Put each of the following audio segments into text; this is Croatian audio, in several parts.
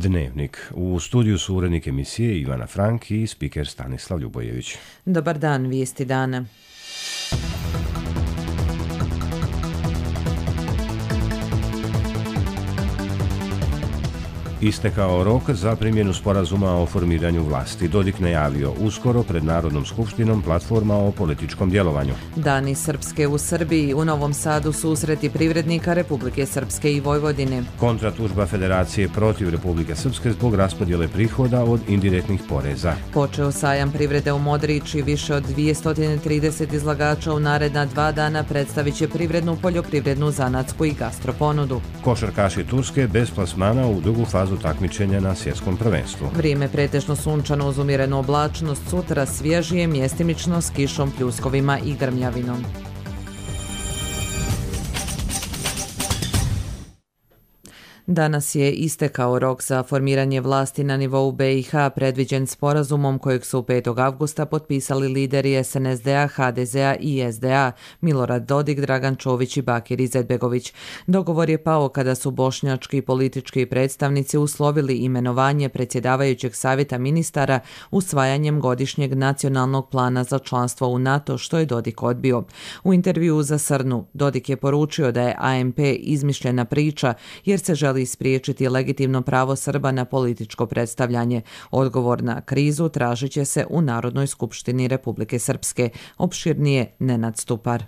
Dnevnik. U studiju su urednik emisije Ivana Frank i spiker Stanislav Ljubojević. Dobar dan, vijesti dana. Istekao rok za primjenu sporazuma o formiranju vlasti. Dodik najavio uskoro pred Narodnom skupštinom platforma o političkom djelovanju. Dani Srpske u Srbiji. U Novom Sadu susreti privrednika Republike Srpske i Vojvodine. Kontratužba Federacije protiv Republike Srpske zbog raspodjele prihoda od indirektnih poreza. Počeo sajam privrede u Modriči. Više od 230 izlagača u naredna 2 dana predstavit će privrednu, poljoprivrednu, zanatsku i gastroponudu. Košarkaši Turske bez plasmana u drugu fazu takmičenja na svjetskom prvenstvu. Vrijeme pretežno sunčano uz umjerenu oblačnost, sutra svježije, mjestimično s kišom, pljuskovima i grmljavinom. Danas je istekao rok za formiranje vlasti na nivou BiH predviđen sporazumom kojeg su 5. avgusta potpisali lideri SNSD-a, HDZ-a i SDA Milorad Dodik, Dragan Čović i Bakir Izetbegović. Dogovor je pao kada su bošnjački politički predstavnici uslovili imenovanje predsjedavajućeg savjeta ministara usvajanjem godišnjeg nacionalnog plana za članstvo u NATO, što je Dodik odbio. U intervjuu za Srnu Dodik je poručio da je AMP izmišljena priča jer se želi spriječiti legitimno pravo Srba na političko predstavljanje. Odgovor na krizu tražit će se u Narodnoj skupštini Republike Srpske. Opširnije Nenad Stupar.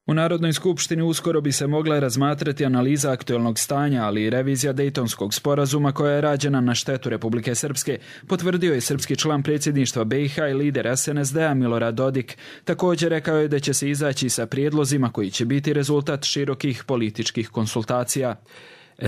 U Narodnoj skupštini uskoro bi se mogla razmatrati analiza aktualnog stanja, ali i revizija Dejtonskog sporazuma koja je rađena na štetu Republike Srpske, potvrdio je srpski član predsjedništva BiH i lider SNSD-a Milorad Dodik. Također rekao je da će se izaći sa prijedlozima koji će biti rezultat širokih političkih konsultacija.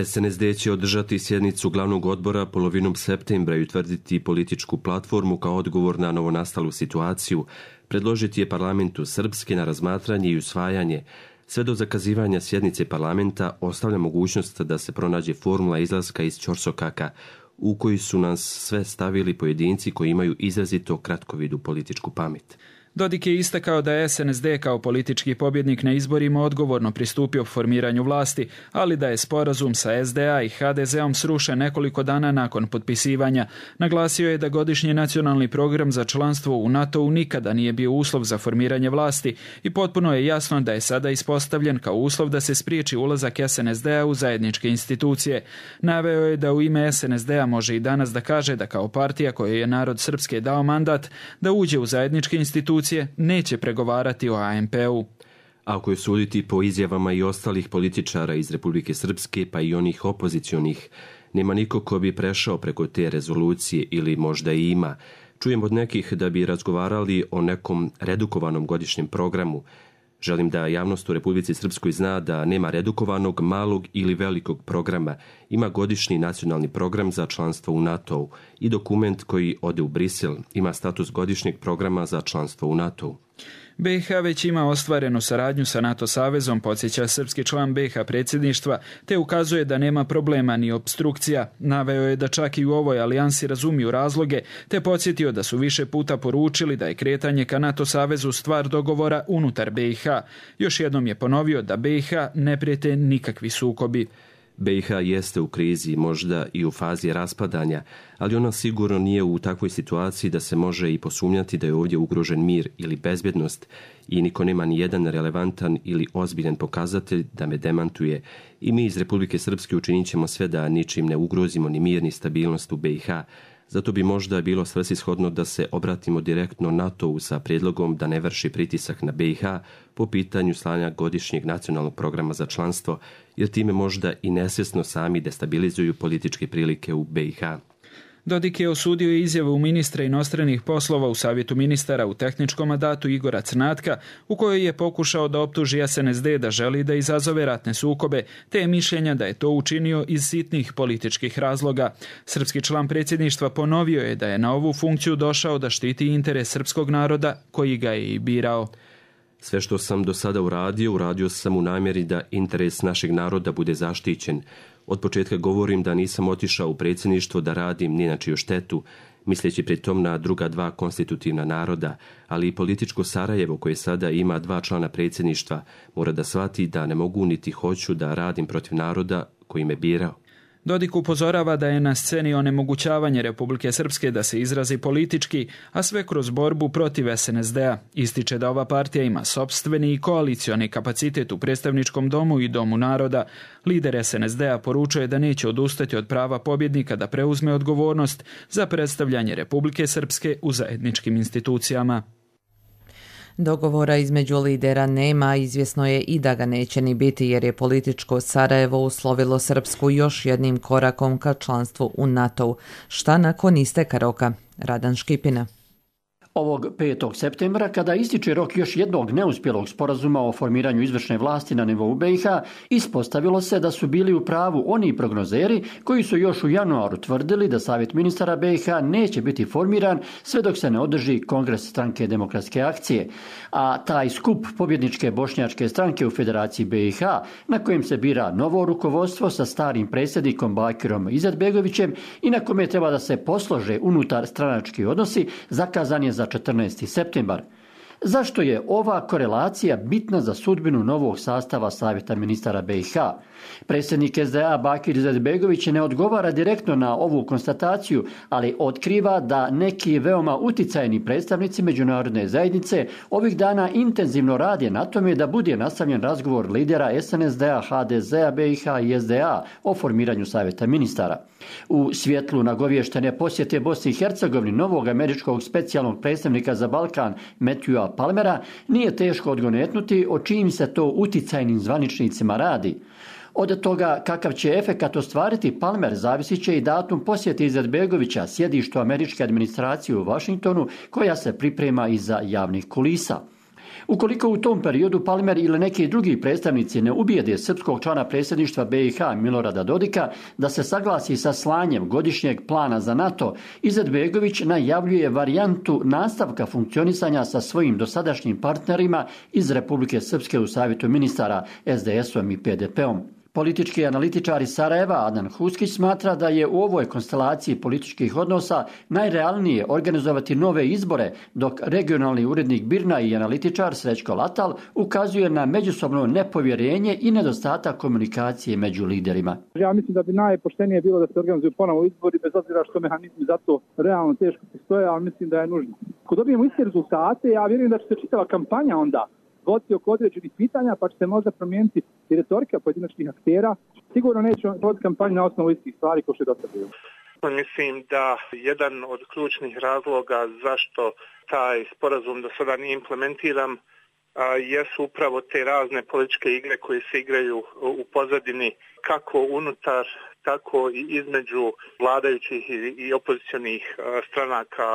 SNSD će održati sjednicu glavnog odbora polovinom septembra i utvrditi političku platformu kao odgovor na novonastalu situaciju. Predložiti je parlamentu Srpske na razmatranje i usvajanje. Sve do zakazivanja sjednice parlamenta ostavlja mogućnost da se pronađe formula izlaska iz ćorsokaka u koji su nas sve stavili pojedinci koji imaju izrazito kratkovidu političku pamet. Dodik je istakao da je SNSD kao politički pobjednik na izborima odgovorno pristupio formiranju vlasti, ali da je sporazum sa SDA i HDZ-om srušen nekoliko dana nakon potpisivanja. Naglasio je da godišnji nacionalni program za članstvo u NATO-u nikada nije bio uslov za formiranje vlasti i potpuno je jasno da je sada ispostavljen kao uslov da se spriječi ulazak SNSD-a u zajedničke institucije. Naveo je da u ime SNSD-a može i danas da kaže da kao partija kojoj je narod Srpske dao mandat da uđe u zajedničke institucije neće pregovarati o AMP-u. Ako je suditi po izjavama i ostalih političara iz Republike Srpske, pa i onih opozicionih, nema niko ko bi prešao preko te rezolucije ili možda i ima. Čujem od nekih da bi razgovarali o nekom redukovanom godišnjem programu. Želim da javnost u Republici Srpskoj zna da nema redukovanog, malog ili velikog programa. Ima godišnji nacionalni program za članstvo u NATO-u i dokument koji ode u Brisel. Ima status godišnjeg programa za članstvo u NATO-u. BiH već ima ostvarenu saradnju sa NATO savezom, podsjeća srpski član BiH predsjedništva, te ukazuje da nema problema ni opstrukcija. Naveo je da čak i u ovoj alijansi razumiju razloge, te podsjetio da su više puta poručili da je kretanje ka NATO savezu stvar dogovora unutar BiH. Još jednom je ponovio da BiH ne prijete nikakvi sukobi. BiH jeste u krizi, možda i u fazi raspadanja, ali ona sigurno nije u takvoj situaciji da se može i posumnjati da je ovdje ugrožen mir ili bezbjednost i niko nema ni jedan relevantan ili ozbiljan pokazatelj da me demantuje. I mi iz Republike Srpske učinit ćemo sve da ničim ne ugrozimo ni mir ni stabilnost u BiH. Zato bi možda bilo svrsishodno da se obratimo direktno NATO-u sa prijedlogom da ne vrši pritisak na BiH po pitanju slanja godišnjeg nacionalnog programa za članstvo, jer time možda i nesvjesno sami destabilizuju političke prilike u BiH. Dodik je osudio izjavu ministra inostranih poslova u Savjetu ministara u tehničkom mandatu Igora Crnatka, u kojoj je pokušao da optuži SNSD da želi da izazove ratne sukobe, te je mišljenja da je to učinio iz sitnih političkih razloga. Srpski član predsjedništva ponovio je da je na ovu funkciju došao da štiti interes srpskog naroda koji ga je i birao. Sve što sam do sada uradio sam u namjeri da interes našeg naroda bude zaštićen. Od početka govorim da nisam otišao u predsjedništvo da radim ni na čiju štetu, misleći pritom na druga 2 konstitutivna naroda, ali i političko Sarajevo koje sada ima 2 člana predsjedništva mora da shvati da ne mogu niti hoću da radim protiv naroda koji me birao. Dodik upozorava da je na sceni onemogućavanje Republike Srpske da se izrazi politički, a sve kroz borbu protiv SNSD-a. Ističe da ova partija ima sopstveni i koalicioni kapacitet u predstavničkom domu i domu naroda. Lider SNSD-a poručuje da neće odustati od prava pobjednika da preuzme odgovornost za predstavljanje Republike Srpske u zajedničkim institucijama. Dogovora između lidera nema, izvjesno je i da ga neće ni biti jer je političko Sarajevo uslovilo Srpsku još jednim korakom ka članstvu u NATO-u. Šta nakon isteka roka? Radan Škipina. Ovog 5. septembra, kada ističe rok još jednog neuspjelog sporazuma o formiranju izvršne vlasti na nivou BiH, ispostavilo se da su bili u pravu oni prognozeri koji su još u januaru tvrdili da Savjet ministara BiH neće biti formiran sve dok se ne održi Kongres stranke Demokratske akcije, a taj skup pobjedničke bošnjačke stranke u Federaciji BiH, na kojem se bira novo rukovodstvo sa starim predsjednikom Bakirom Izetbegovićem i na kome treba da se poslože unutar stranački odnosi, zakazan je za 14. septembar. Zašto je ova korelacija bitna za sudbinu novog sastava Savjeta ministara BiH? Predsjednik SDA Bakir Izetbegović ne odgovara direktno na ovu konstataciju, ali otkriva da neki veoma uticajni predstavnici međunarodne zajednice ovih dana intenzivno rade na tome da bude nastavljen razgovor lidera SNSD-a, HDZ-a, BiH i SDA o formiranju Savjeta ministara. U svjetlu nagovještene posjete Bosni i Hercegovini novog američkog specijalnog predstavnika za Balkan Matthewa Palmera nije teško odgonetnuti o čijim se to uticajnim zvaničnicima radi. Od toga kakav će efekat ostvariti Palmer zavisit će i datum posjete Izetbegovića sjedištu američke administracije u Washingtonu koja se priprema iza javnih kulisa. Ukoliko u tom periodu Palmer ili neki drugi predstavnici ne ubijede srpskog člana predsjedništva BiH Milorada Dodika da se saglasi sa slanjem godišnjeg plana za NATO, Izetbegović najavljuje varijantu nastavka funkcionisanja sa svojim dosadašnjim partnerima iz Republike Srpske u Savjetu ministara SDS-om i PDP-om. Politički analitičar iz Sarajeva Adnan Huskić smatra da je u ovoj konstelaciji političkih odnosa najrealnije organizovati nove izbore, dok regionalni urednik BIRN-a i analitičar Srećko Latal ukazuje na međusobno nepovjerenje i nedostatak komunikacije među liderima. Ja mislim da bi najpoštenije bilo da se organizuju ponovo izbori, bez obzira što mehanizmi za to realno teško postoje, ali mislim da je nužno. Ako dobijemo iste rezultate, ja vjerujem da će se čitava kampanja onda voditi oko određenih pitanja, pa će se možda promijeniti i retorika pojedinačnih aktera. Sigurno neće voditi kampanju na osnovu istih stvari kao što je dosta bilo. Mislim da jedan od ključnih razloga zašto taj sporazum do sada nije implementiran jesu upravo te razne političke igre koje se igraju u pozadini, kako unutar, tako i između vladajućih i opozicionih stranaka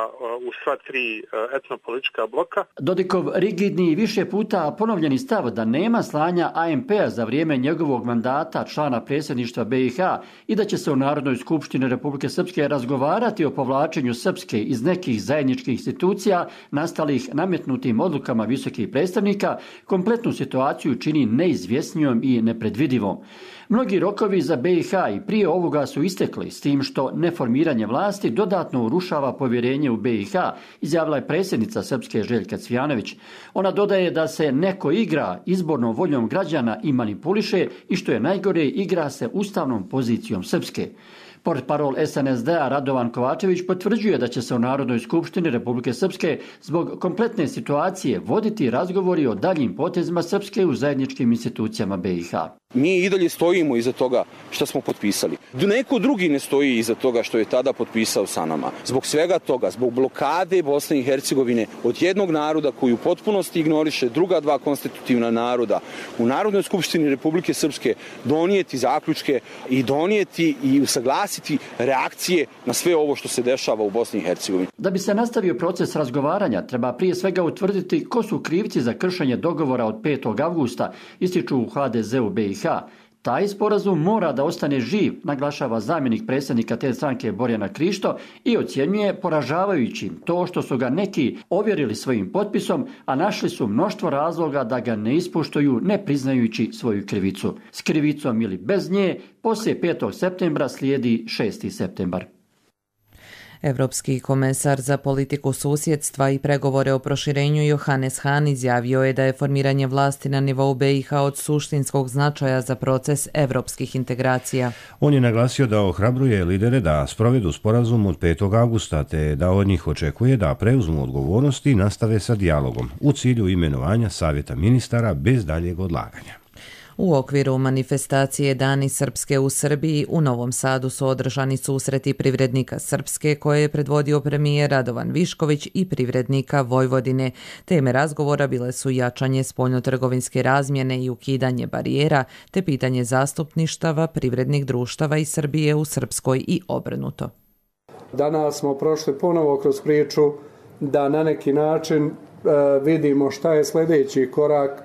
u sva tri etnopolitička bloka. Dodikov rigidni i više puta ponovljeni stav da nema slanja ANP-a za vrijeme njegovog mandata člana predsjedništva BiH i da će se u Narodnoj skupštini Republike Srpske razgovarati o povlačenju Srpske iz nekih zajedničkih institucija nastalih nametnutim odlukama visokih predstavnika, kompletnu situaciju čini neizvjesnijom i nepredvidivom. Mnogi rokovi za BiH i prije ovoga su istekli, s tim što neformiranje vlasti dodatno urušava povjerenje u BiH, izjavila je predsjednica Srpske Željka Cvijanović. Ona dodaje da se neko igra izbornom voljom građana i manipuliše i što je najgore, igra se ustavnom pozicijom Srpske. Portparol SNSD-a Radovan Kovačević potvrđuje da će se u Narodnoj skupštini Republike Srpske zbog kompletne situacije voditi razgovori o daljim potezima Srpske u zajedničkim institucijama BiH. Mi i dalje stojimo iza toga što smo potpisali. Neko drugi ne stoji iza toga što je tada potpisao sa nama. Zbog svega toga, zbog blokade Bosne i Hercegovine od jednog naroda koji u potpunosti ignoriše druga dva konstitutivna naroda, u Narodnoj skupštini Republike Srpske donijeti zaključke i donijeti i usaglasiti reakcije na sve ovo što se dešava u Bosni i Hercegovini. Da bi se nastavio proces razgovaranja, treba prije svega utvrditi ko su krivci za kršenje dogovora od 5. avgusta, ističu u HDZ-u BiH. Taj sporazum mora da ostane živ, naglašava zamjenik predsjednika te stranke Borjana Krišto i ocjenjuje poražavajućim to što su ga neki ovjerili svojim potpisom, a našli su mnoštvo razloga da ga ne ispoštuju ne priznajući svoju krivicu. S krivicom ili bez nje, poslije 5. septembra slijedi 6. septembar. Europski komesar za politiku susjedstva i pregovore o proširenju Johannes Hahn izjavio je da je formiranje vlasti na nivou BiH od suštinskog značaja za proces evropskih integracija. On je naglasio da ohrabruje lidere da sprovedu sporazum od 5. avgusta te da od njih očekuje da preuzmu odgovornosti i nastave sa dijalogom u cilju imenovanja savjeta ministara bez daljeg odlaganja. U okviru manifestacije Dani Srpske u Srbiji u Novom Sadu su održani susreti privrednika Srpske koje je predvodio premijer Radovan Višković i privrednika Vojvodine. Teme razgovora bile su jačanje spoljnotrgovinske razmjene i ukidanje barijera, te pitanje zastupništava privrednih društava iz Srbije u Srpskoj i obrnuto. Danas smo prošli ponovo kroz priču da na neki način vidimo šta je sljedeći korak,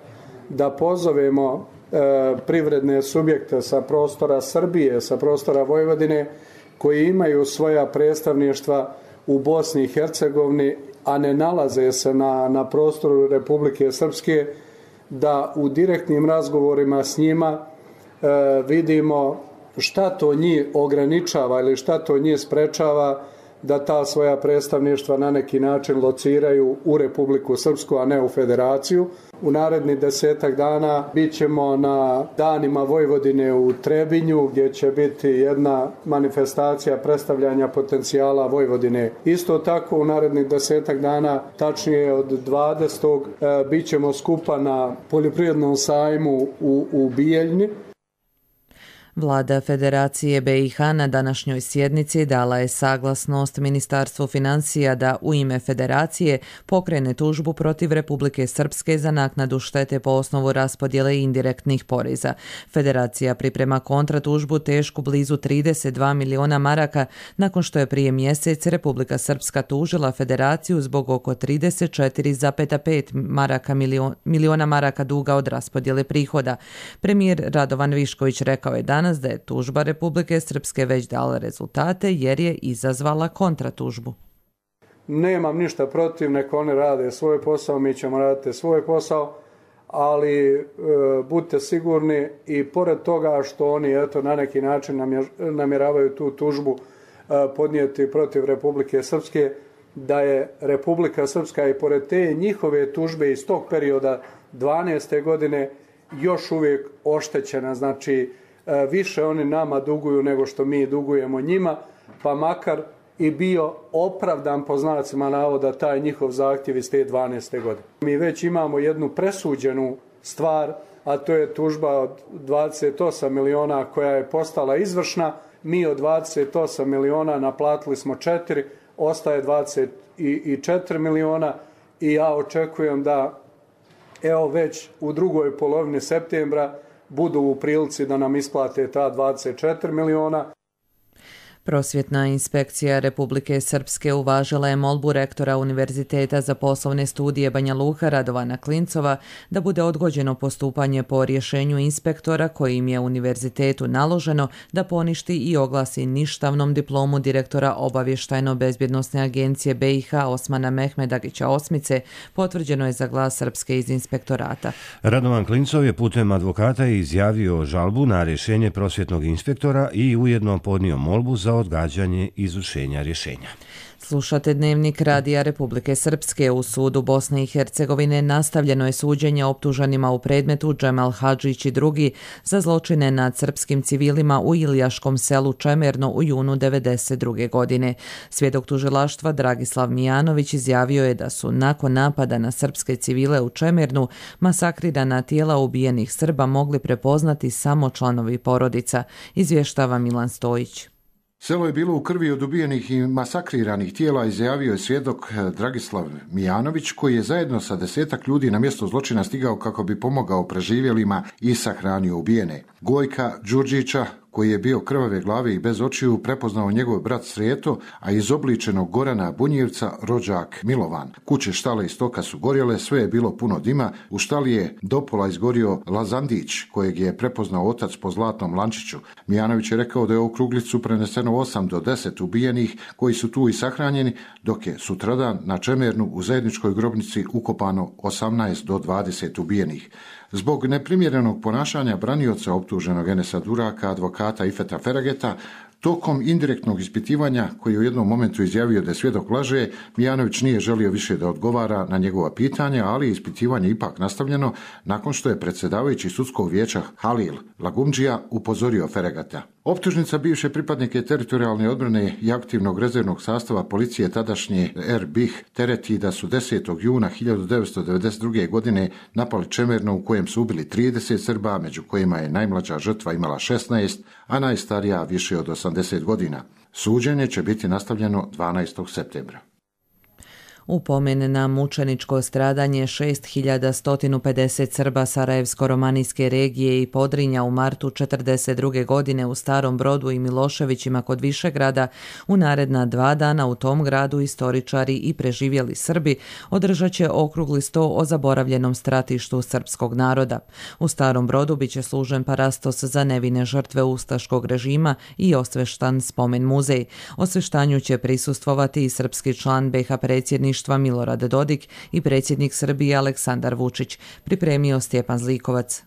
da pozovemo privredne subjekte sa prostora Srbije, sa prostora Vojvodine, koji imaju svoja predstavništva u Bosni i Hercegovini, a ne nalaze se na prostoru Republike Srpske, da u direktnim razgovorima s njima vidimo šta to njih ograničava ili šta to njih sprečava da ta svoja predstavništva na neki način lociraju u Republiku Srpsku, a ne u Federaciju. U narednih 10 dana bit ćemo na danima Vojvodine u Trebinju, gdje će biti jedna manifestacija predstavljanja potencijala Vojvodine. Isto tako u narednih 10 dana, tačnije od 20. bit ćemo skupa na poljoprivrednom sajmu u Bijeljni. Vlada Federacije BiH na današnjoj sjednici dala je saglasnost Ministarstvu financija da u ime Federacije pokrene tužbu protiv Republike Srpske za naknadu štete po osnovu raspodjele indirektnih poreza. Federacija priprema kontratužbu tešku blizu 32 miliona maraka nakon što je prije mjesec Republika Srpska tužila Federaciju zbog oko 34,5 miliona maraka duga od raspodjele prihoda. Premijer Radovan Višković rekao je danas da je tužba Republike Srpske već dala rezultate jer je izazvala kontratužbu. Nemam ništa protiv, neka oni rade svoj posao, mi ćemo raditi svoj posao, ali budite sigurni i pored toga što oni na neki način namjeravaju tu tužbu podnijeti protiv Republike Srpske, da je Republika Srpska i pored te njihove tužbe iz tog perioda 12. godine još uvijek oštećena, znači više oni nama duguju nego što mi dugujemo njima, pa makar i bio opravdan po znacima navoda taj njihov zahtjev iz te 12. godine. Mi već imamo jednu presuđenu stvar, a to je tužba od 28 miliona koja je postala izvršna. Mi od 28 miliona naplatili smo 4, ostaje 24 miliona i ja očekujem da već u drugoj polovini septembra budu u prilici da nam isplate ta 24 miliona. Prosvjetna inspekcija Republike Srpske uvažila je molbu rektora Univerziteta za poslovne studije Banja Luka Radovana Klincova da bude odgođeno postupanje po rješenju inspektora kojim je univerzitetu naloženo da poništi i oglasi ništavnom diplomu direktora Obavještajno-bezbjednosne agencije BiH Osmana Mehmedagića Osmice, potvrđeno je za Glas Srpske iz inspektorata. Radovan Klincov je putem advokata izjavio žalbu na rješenje prosvjetnog inspektora i ujedno podnio molbu za odgađanje izvršenja rješenja. Slušate Dnevnik Radija Republike Srpske. U sudu Bosne i Hercegovine nastavljeno je suđenje optuženima u predmetu Džemal Hadžić i drugi za zločine nad srpskim civilima u Ilijaškom selu Čemerno u junu 1992. godine. Svjedok tužilaštva Dragislav Mijanović izjavio je da su nakon napada na srpske civile u Čemernu masakrirana tijela ubijenih Srba mogli prepoznati samo članovi porodica, izvještava Milan Stojić. Selo je bilo u krvi od ubijenih i masakriranih tijela, izjavio je svjedok Dragislav Mijanović, koji je zajedno sa 10 ljudi na mjesto zločina stigao kako bi pomogao preživjelima i sahranio ubijene. Gojka Đurđića, koji je bio krvave glave i bez očiju, prepoznao njegov brat Sreto, a izobličenog Gorana Bunjevca rođak Milovan. Kuće, štale i stoka su gorjele, sve je bilo puno dima. U štali je dopola izgorio Lazandić, kojeg je prepoznao otac po zlatnom lančiću. Mijanović je rekao da je u Okruglicu preneseno 8 do 10 ubijenih koji su tu i sahranjeni, dok je sutradan na Čemernu u zajedničkoj grobnici ukopano 18 do 20 ubijenih. Zbog neprimjerenog ponašanja branioca optuženog Enesa Duraka, advokata Ifeta Ferageta, Tokom indirektnog ispitivanja, koji je u jednom momentu izjavio da je svjedok laže, Mijanović nije želio više da odgovara na njegova pitanja, ali ispitivanje ipak nastavljeno nakon što je predsjedavajući sudskog vijeća Halil Lagumdžija upozorio Feregata. Optužnica bivše pripadnike teritorijalne odbrane i aktivnog rezervnog sastava policije tadašnje RBIH tereti da su 10. juna 1992. godine napali Čemerno u kojem su ubili 30 Srba, među kojima je najmlađa žrtva imala 16, a najstarija više od 80 godina. Suđenje će biti nastavljeno 12. septembra. U pomen na mučeničko stradanje 6150 Srba Sarajevsko-romanijske regije i Podrinja u martu 1942. godine u Starom Brodu i Miloševićima kod Višegrada, u naredna 2 dana u tom gradu istoričari i preživjeli Srbi održat će okrugli sto o zaboravljenom stratištu srpskog naroda. U Starom Brodu biće služen parastos za nevine žrtve ustaškog režima i osveštan spomen muzej. Osveštanju će prisustvovati i srpski član BiH predsjedništva Milorad Dodik i predsjednik Srbije Aleksandar Vučić, pripremio Stjepan Zlikovac.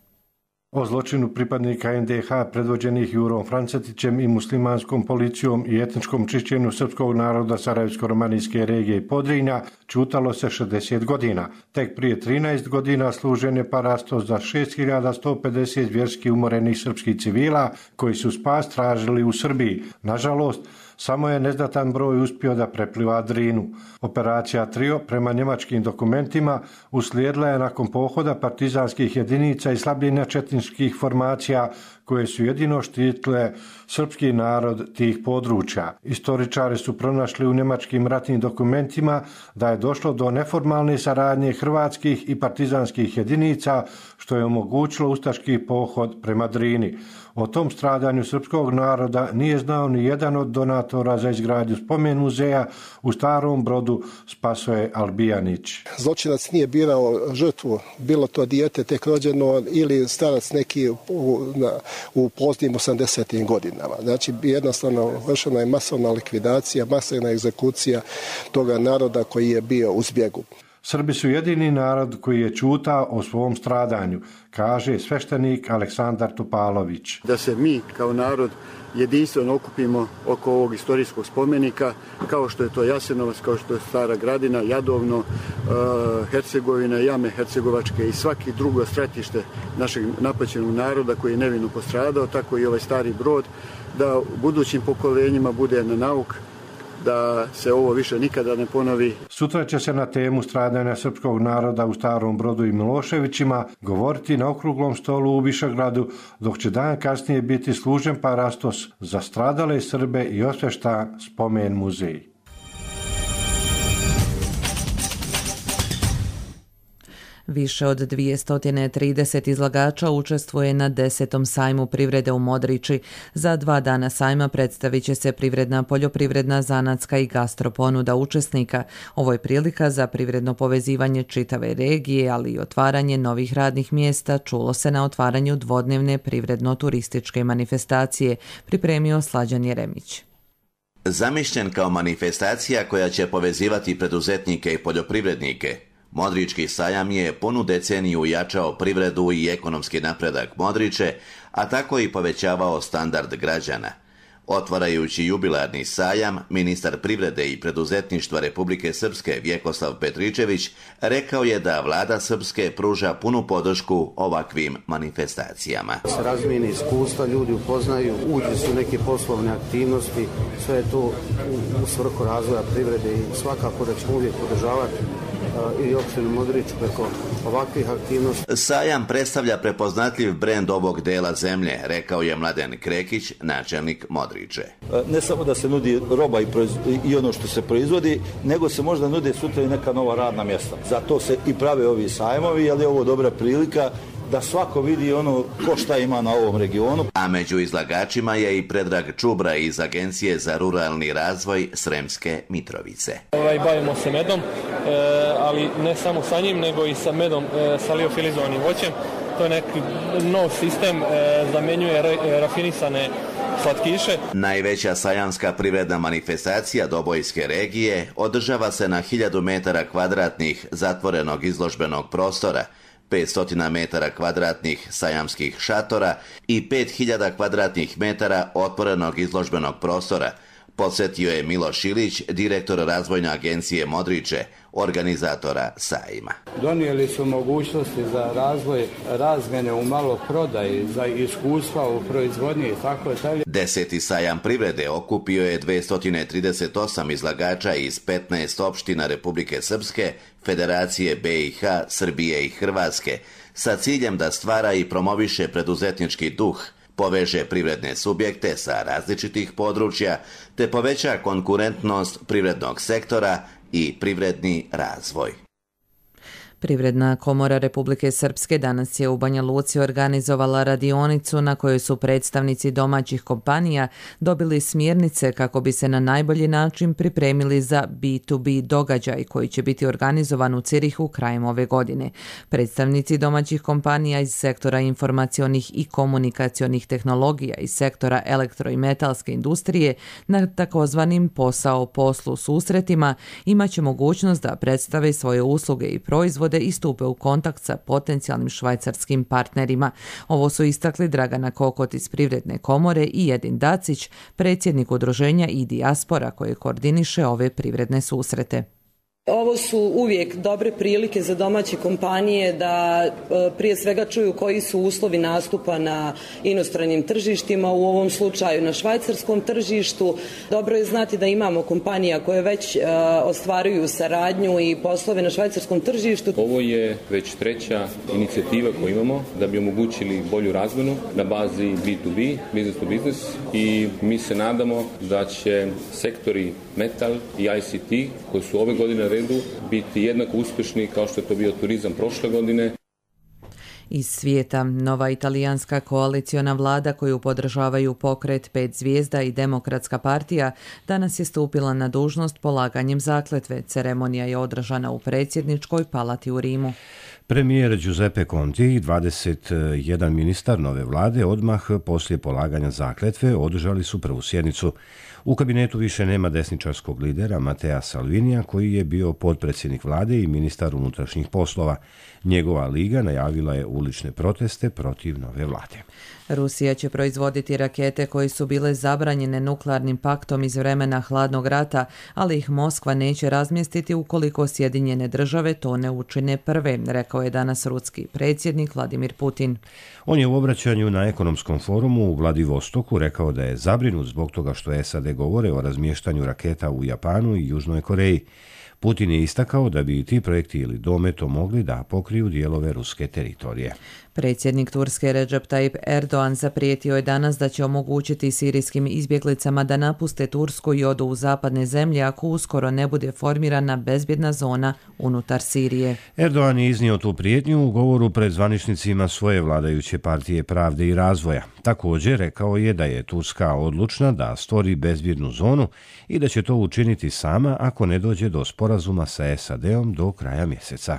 O zločinu pripadnika NDH predvođenih Jurom Francetićem i muslimanskom policijom i etničkom čišćenju srpskog naroda Sarajevsko-romanijske regije i Podrinja čutalo se 60 godina. Tek prije 13 godina služen je parastos za 6150 vjerski umorenih srpskih civila koji su spas tražili u Srbiji. Nažalost, samo je neznatan broj uspio da prepliva Drinu. Operacija Trio, prema njemačkim dokumentima, uslijedila je nakon pohoda partizanskih jedinica i slabljenja četničkih formacija koje su jedino štitile srpski narod tih područja. Istoričari su pronašli u njemačkim ratnim dokumentima da je došlo do neformalne saradnje hrvatskih i partizanskih jedinica, što je omogućilo ustaški pohod prema Drini. O tom stradanju srpskog naroda nije znao ni jedan od donatora za izgradnju spomen muzeja u Starom Brodu, Spasoje Albijanić. Zločinac nije birao žrtvu, bilo to dijete tek rođeno ili starac neki u poznim 80. godinama. Znači, jednostavno vršena je masovna likvidacija, masovna egzekucija toga naroda koji je bio u zbjegu. Srbi su jedini narod koji je ćutao o svom stradanju, kaže sveštenik Aleksandar Topalović. Da se mi kao narod jedinstveno okupimo oko ovog istorijskog spomenika, kao što je to Jasenovac, kao što je Stara Gradina, Jadovno, Hercegovina, Jame Hercegovačke i svaki drugo stratište našeg napaćenog naroda koji je nevino postradao, tako i ovaj Stari Brod, da budućim pokolenjima bude na nauk, da se ovo više nikada ne ponovi. Sutra će se na temu stradanja srpskog naroda u Starom Brodu i Miloševićima govoriti na okruglom stolu u Višegradu, dok će dan kasnije biti služen parastos za stradale Srbe i osveštan spomen muzej. Više od 230 izlagača učestvuje na 10. sajmu privrede u Modriči. Za 2 dana sajma predstavit će se privredna, poljoprivredna, zanatska i gastro ponuda učesnika. Ovo je prilika za privredno povezivanje čitave regije, ali i otvaranje novih radnih mjesta, čulo se na otvaranju dvodnevne privredno-turističke manifestacije, pripremio Slađan Jeremić. Zamišljen kao manifestacija koja će povezivati preduzetnike i poljoprivrednike, Modrički sajam je punu deceniju jačao privredu i ekonomski napredak Modriče, a tako i povećavao standard građana. Otvarajući jubilarni sajam, ministar privrede i preduzetništva Republike Srpske Vjekoslav Petričević rekao je da vlada Srpske pruža punu podršku ovakvim manifestacijama. Se razmijeni iskustva, ljudi upoznaju, uđe su neke poslovne aktivnosti, sve je to u svrhu razvoja privrede i svakako da ćemo uvijek podržavati i opštinu Modrić preko ovakvih aktivnosti. Sajam predstavlja prepoznatljiv brend ovog dela zemlje, rekao je Mladen Krekić, načelnik Modriče. Ne samo da se nudi roba i ono što se proizvodi, nego se možda nude sutra i neka nova radna mjesta. Zato se i prave ovi sajmovi, ali je ovo dobra prilika da svako vidi ono ko šta ima na ovom regionu. A među izlagačima je i Predrag Čubra iz Agencije za ruralni razvoj Sremske Mitrovice. Bavimo se medom, ali ne samo sa njim, nego i sa medom sa liofilizovanim voćem. To je neki nov sistem, zamjenjuje rafinisane slatkiše. Najveća sajamska privredna manifestacija Dobojske regije održava se na 1000 metara kvadratnih zatvorenog izložbenog prostora. 500 metara kvadratnih sajamskih šatora i 5000 kvadratnih metara otvorenog izložbenog prostora, podsjetio je Miloš Ilić, direktor razvojne agencije Modriče, organizatora sajma. Donijeli su mogućnosti za razvoj razmjene u maloprodaji, za iskustva u proizvodnji i tako dalje. 10. sajam privrede okupio je 238 izlagača iz 15 opština Republike Srpske, Federacije BiH, Srbije i Hrvatske, sa ciljem da stvara i promoviše preduzetnički duh, poveže privredne subjekte sa različitih područja, te poveća konkurentnost privrednog sektora i privredni razvoj. Privredna komora Republike Srpske danas je u Banja Luci organizovala radionicu na kojoj su predstavnici domaćih kompanija dobili smjernice kako bi se na najbolji način pripremili za B2B događaj koji će biti organizovan u Cirihu krajem ove godine. Predstavnici domaćih kompanija iz sektora informacionih i komunikacionih tehnologija i sektora elektro- i metalske industrije na takozvanim posao poslu susretima imaće mogućnost da predstave svoje usluge i proizvode i stupe u kontakt sa potencijalnim švajcarskim partnerima. Ovo su istakli Dragana Kokot iz Privredne komore i Edin Dacić, predsjednik udruženja i dijaspora koje koordiniše ove privredne susrete. Ovo su uvijek dobre prilike za domaće kompanije da prije svega čuju koji su uslovi nastupa na inostranim tržištima, u ovom slučaju na švajcarskom tržištu. Dobro je znati da imamo kompanija koje već ostvaruju saradnju i poslove na švajcarskom tržištu. Ovo je već treća inicijativa koju imamo da bi omogućili bolju razmjenu na bazi B2B, business to business, i mi se nadamo da će sektori metal i ICT koji su ove godine redu biti jednako uspješni kao što je to bio turizam prošle godine. Iz svijeta, nova italijanska koaliciona vlada koju podržavaju pokret 5 zvijezda i Demokratska partija danas je stupila na dužnost polaganjem zakletve. Ceremonija je održana u predsjedničkoj palati u Rimu. Premijer Giuseppe Conte i 21 ministar nove vlade odmah poslije polaganja zakletve održali su prvu sjednicu. U kabinetu više nema desničarskog lidera Mattea Salvinija koji je bio potpredsjednik vlade i ministar unutrašnjih poslova. Njegova liga najavila je ulične proteste protiv nove vlade. Rusija će proizvoditi rakete koje su bile zabranjene nuklearnim paktom iz vremena hladnog rata, ali ih Moskva neće razmjestiti ukoliko Sjedinjene države to ne učine prve, rekao je danas ruski predsjednik Vladimir Putin. On je u obraćanju na ekonomskom forumu u Vladivostoku rekao da je zabrinut zbog toga što SAD govore o razmještanju raketa u Japanu i Južnoj Koreji. Putin je istakao da bi ti projektili dometo mogli da pokriju dijelove ruske teritorije. Predsjednik Turske Recep Tayyip Erdogan zaprijetio je danas da će omogućiti sirijskim izbjeglicama da napuste Tursku i odu u zapadne zemlje ako uskoro ne bude formirana bezbjedna zona unutar Sirije. Erdogan je iznio tu prijetnju u govoru pred zvaničnicima svoje vladajuće partije Pravde i razvoja. Također rekao je da je Turska odlučna da stvori bezbjednu zonu i da će to učiniti sama ako ne dođe do sporazuma sa SAD-om do kraja mjeseca.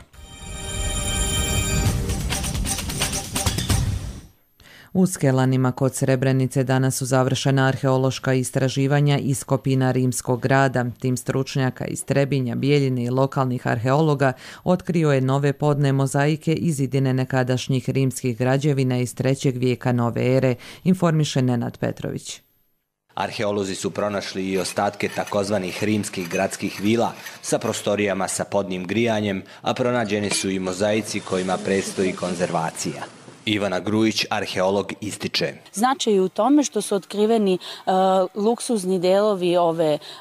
U Skelanima kod Srebrenice danas su završena arheološka istraživanja iskopina rimskog grada. Tim stručnjaka iz Trebinja, Bijeljine i lokalnih arheologa otkrio je nove podne mozaike i zidine nekadašnjih rimskih građevina iz 3. vijeka nove ere, informiše Nenad Petrović. Arheolozi su pronašli i ostatke takozvanih rimskih gradskih vila sa prostorijama sa podnim grijanjem, a pronađeni su i mozaici kojima predstoji konzervacija. Ivana Grujić, arheolog, ističe. Značaj je u tome što su otkriveni luksuzni delovi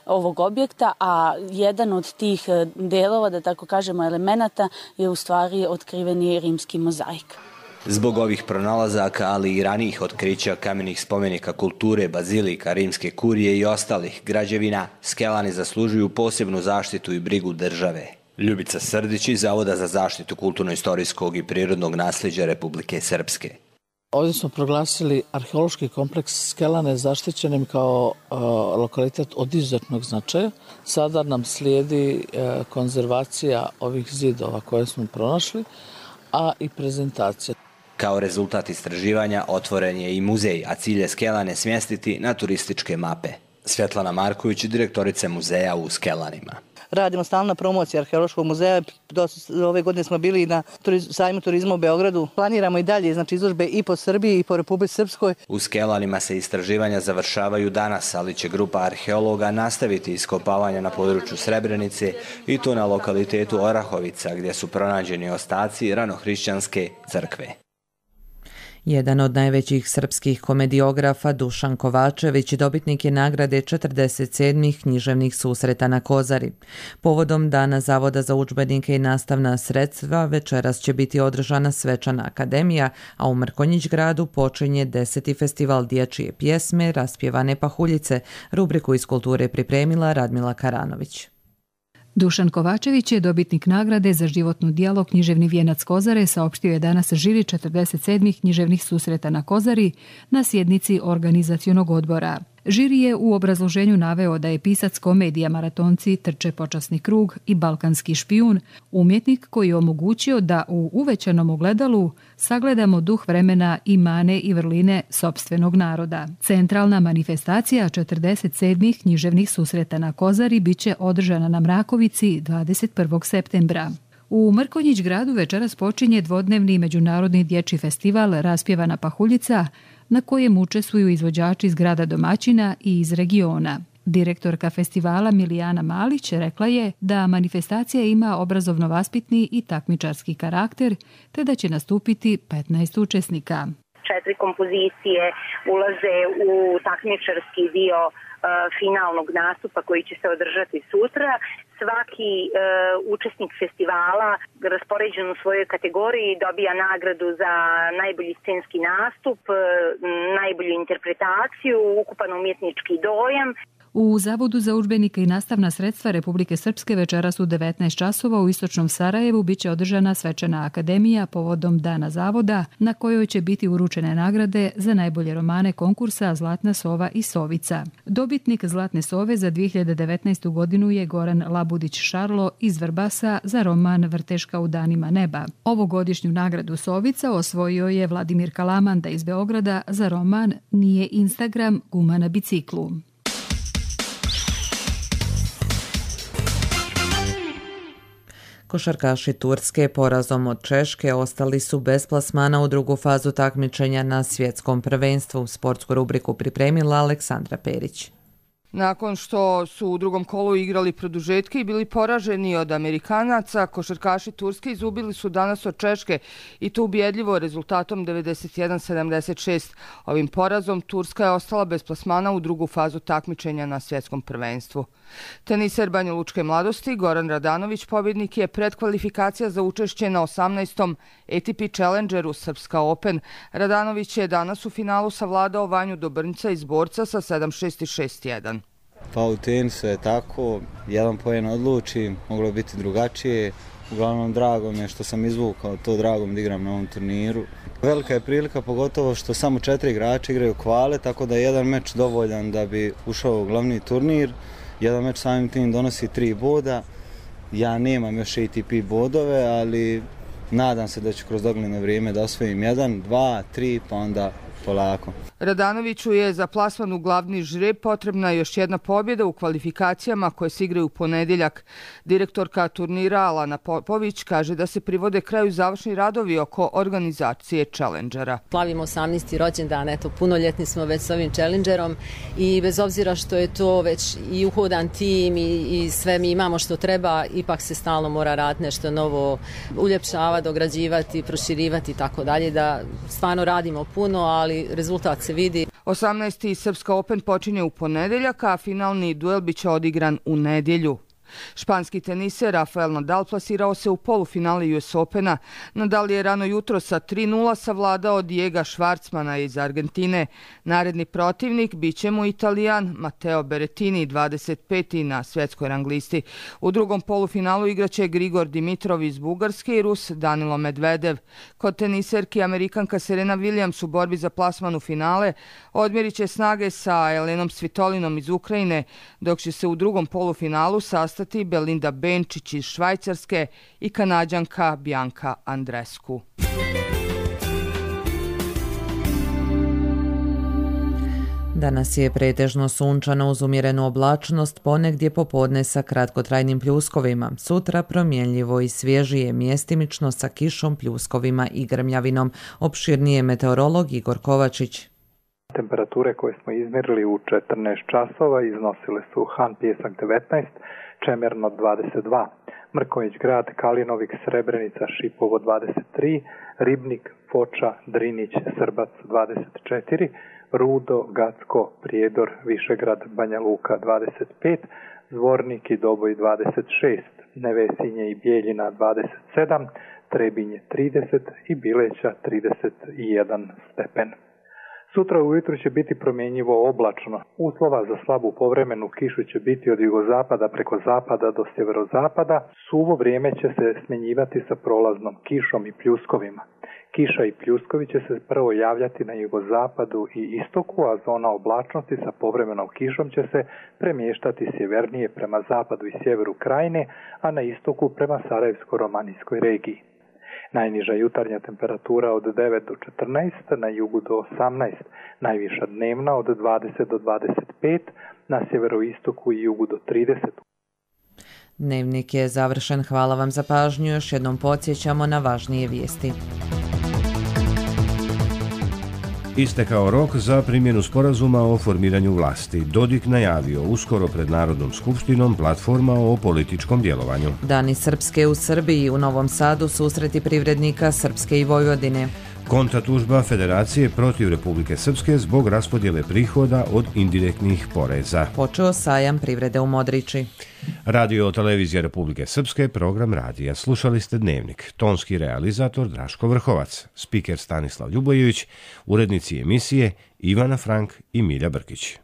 ovog objekta, a jedan od tih delova, da tako kažemo, elemenata je u stvari otkriveni rimski mozaik. Zbog ovih pronalazaka, ali i ranijih otkrića kamenih spomenika kulture, bazilika, rimske kurije i ostalih građevina, Skelani zaslužuju posebnu zaštitu i brigu države. Ljubica Srdić iz Zavoda za zaštitu kulturno-istorijskog i prirodnog nasljeđa Republike Srpske. Ovdje smo proglasili arheološki kompleks Skelane zaštićenim kao lokalitet od izuzetnog značaja. Sada nam slijedi konzervacija ovih zidova koje smo pronašli, a i prezentacija. Kao rezultat istraživanja otvoren je i muzej, a cilj je Skelane smjestiti na turističke mape. Svjetlana Marković, direktorica muzeja u Skelanima. Radimo stalno na promociji Arheološkog muzeja. Ove godine smo bili na sajmu turizma u Beogradu. Planiramo i dalje izložbe i po Srbiji i po Republici Srpskoj. U Skelanima se istraživanja završavaju danas, ali će grupa arheologa nastaviti iskopavanja na području Srebrenice i to na lokalitetu Orahovica, gdje su pronađeni ostaci ranohrišćanske crkve. Jedan od najvećih srpskih komediografa, Dušan Kovačević, dobitnik je nagrade 47. književnih susreta na Kozari. Povodom Dana Zavoda za udžbenike i nastavna sredstva večeras će biti održana svečana akademija, a u Mrkonjić gradu počinje 10. festival dječje pjesme Raspjevane pahuljice. Rubriku iz kulture pripremila Radmila Karanović. Dušan Kovačević je dobitnik nagrade za životnu dijalog Književni vijenac Kozare, saopštio je danas žiri 47. književnih susreta na Kozari na sjednici organizacionog odbora. Žiri je u obrazloženju naveo da je pisac komedija Maratonci, Trče počasni krug i Balkanski špijun umjetnik koji je omogućio da u uvećanom ogledalu sagledamo duh vremena i mane i vrline sopstvenog naroda. Centralna manifestacija 47. književnih susreta na Kozari biće održana na Mrakovici 21. septembra. U Mrkonjić gradu večeras počinje dvodnevni međunarodni dječji festival Raspjevana pahuljica, na kojem učestvuju izvođači iz grada domaćina i iz regiona. Direktorka festivala Milijana Malić rekla je da manifestacija ima obrazovno-vaspitni i takmičarski karakter, te da će nastupiti 15 učesnika. 4 kompozicije ulaze u takmičarski dio finalnog nastupa koji će se održati sutra. Svaki učesnik festivala raspoređen u svojoj kategoriji dobija nagradu za najbolji scenski nastup, najbolju interpretaciju, ukupan umjetnički dojam. U Zavodu za udžbenike i nastavna sredstva Republike Srpske večeras u 19 časova u istočnom Sarajevu biće održana svečana akademija povodom Dana Zavoda, na kojoj će biti uručene nagrade za najbolje romane konkursa Zlatna sova i Sovica. Dobitnik Zlatne sove za 2019. godinu je Goran Labudić Šarlo iz Vrbasa za roman Vrteška u danima neba. Ovogodišnju nagradu Sovica osvojio je Vladimir Kalamanda iz Beograda za roman Nije Instagram, guma na biciklu. Košarkaši Turske porazom od Češke ostali su bez plasmana u drugu fazu takmičenja na svjetskom prvenstvu. Sportsku rubriku pripremila Aleksandra Perić. Nakon što su u drugom kolu igrali produžetke i bili poraženi od Amerikanaca, košarkaši Turske izgubili su danas od Češke i to ubjedljivo rezultatom 91-76. Ovim porazom Turska je ostala bez plasmana u drugu fazu takmičenja na svjetskom prvenstvu. Teniser banjalučke mladosti Goran Radanović pobjednik je predkvalifikacija za učešće na 18. ATP Challengeru Srpska Open. Radanović je danas u finalu savladao Vanju Dobrnjca iz Borca sa 7-6 i 6-1. Pa u tenisu je tako, jedan poen odluči, moglo biti drugačije. Uglavnom drago mi je što sam izvukao to, drago mi da igram na ovom turniru. Velika je prilika, pogotovo što samo 4 igrača igraju kvale, tako da je jedan meč dovoljan da bi ušao u glavni turnir. Jedan meč samim tim donosi 3 boda. Ja nemam još ATP bodove, ali nadam se da ću kroz dogledno vrijeme da osvojim 1, 2, 3, pa onda polako. Radanoviću je za plasman u glavni žreb potrebna još jedna pobjeda u kvalifikacijama koje se igraju u ponedjeljak. Direktorka turnira Alana Popović kaže da se privode kraju završni radovi oko organizacije Challengera. Slavimo 18. rođendan, eto, punoljetni smo već s ovim Challengerom i bez obzira što je to već i uhodan tim i sve mi imamo što treba, ipak se stalno mora raditi nešto novo, uljepšavati, dograđivati, proširivati i tako dalje, da stvarno radimo puno, ali rezultat se vidi. 18. Srpska Open počinje u ponedjeljak, a finalni duel biće odigran u nedjelju. Španski teniser Rafael Nadal plasirao se u polufinale US Opena. Nadal je rano jutro sa 3-0 savladao Diega Schwartzmana iz Argentine. Naredni protivnik biće mu Italijan Matteo Berrettini, 25. na svjetskoj rang listi. U drugom polufinalu igraće Grigor Dimitrov iz Bugarske i Rus Danilo Medvedev. Kod teniserki Amerikanka Serena Williams u borbi za plasman u finale odmjerit će snage sa Elenom Svitolinom iz Ukrajine, dok će se u drugom polufinalu sastati Belinda Benčić iz Švajcarske i Kanađanka Bianca Andrescu. Danas je pretežno sunčano uz umjerenu oblačnost, ponegdje popodne sa kratkotrajnim pljuskovima. Sutra promjenljivo i svježije, mjestimično sa kišom, pljuskovima i grmljavinom. Opširnije meteorolog Igor Kovačić. Temperature koje smo izmjerili u 14 časova iznosile su Han Pjesak 19, Čemerno 22, Mrkonjić Grad, Kalinovik, Srebrenica, Šipovo 23, Ribnik, Foča, Drinić, Srbac 24, Rudo, Gacko, Prijedor, Višegrad, Banja Luka 25, Zvornik i Doboj 26, Nevesinje i Bijeljina 27, Trebinje 30 i Bileća 31 stepen. Sutra ujutru će biti promjenjivo oblačno. Uslova za slabu povremenu kišu će biti od jugozapada preko zapada do sjeverozapada. Suvo vrijeme će se smjenjivati sa prolaznom kišom i pljuskovima. Kiša i pljuskovi će se prvo javljati na jugozapadu i istoku, a zona oblačnosti sa povremenom kišom će se premještati sjevernije prema zapadu i sjeveru Krajine, a na istoku prema Sarajevsko-romanijskoj regiji. Najniža jutarnja temperatura od 9 do 14, na jugu do 18, najviša dnevna od 20 do 25, na sjeveroistoku i jugu do 30. Dnevnik je završen. Hvala vam za pažnju. Još jednom podsjećamo na važnije vijesti. Istekao rok za primjenu sporazuma o formiranju vlasti. Dodik najavio uskoro pred Narodnom skupštinom platforma o političkom djelovanju. Dani Srpske u Srbiji, u Novom Sadu susreti privrednika Srpske i Vojvodine. Kontratužba Federacije protiv Republike Srpske zbog raspodjele prihoda od indirektnih poreza. Počeo sajam privrede u Modriči. Radio televizija Republike Srpske, program radija. Slušali ste Dnevnik. Tonski realizator Draško Vrhovac, spiker Stanislav Ljubojević, urednici emisije Ivana Frank i Milja Brkić.